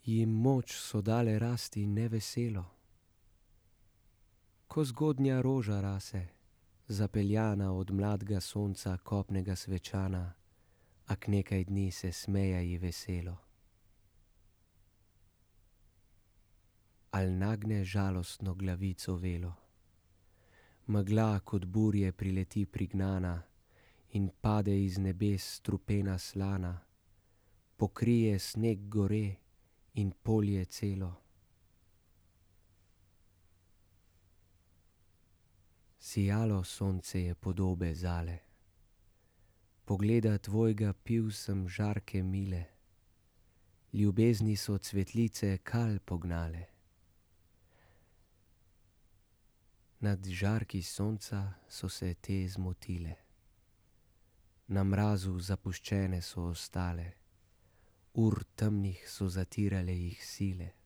Jim moč so dale rasti neveselo. Ko zgodnja roža rase, zapeljana od mladega sonca kopnega svečana, a k nekaj dni se smeja ji veselo. Al nagne žalostno glavico velo, megla kot burje prileti prignana in pade iz nebes strupena slana, pokrije sneg gore in polje celo. Sijalo sonce je podobe zale, pogleda tvojega pil sem žarke mile, ljubezni so cvetlice kal pognale. Nad žarki sonca so se te zmotile, na mrazu zapuščene so ostale, ur temnih so zatirale jih sile.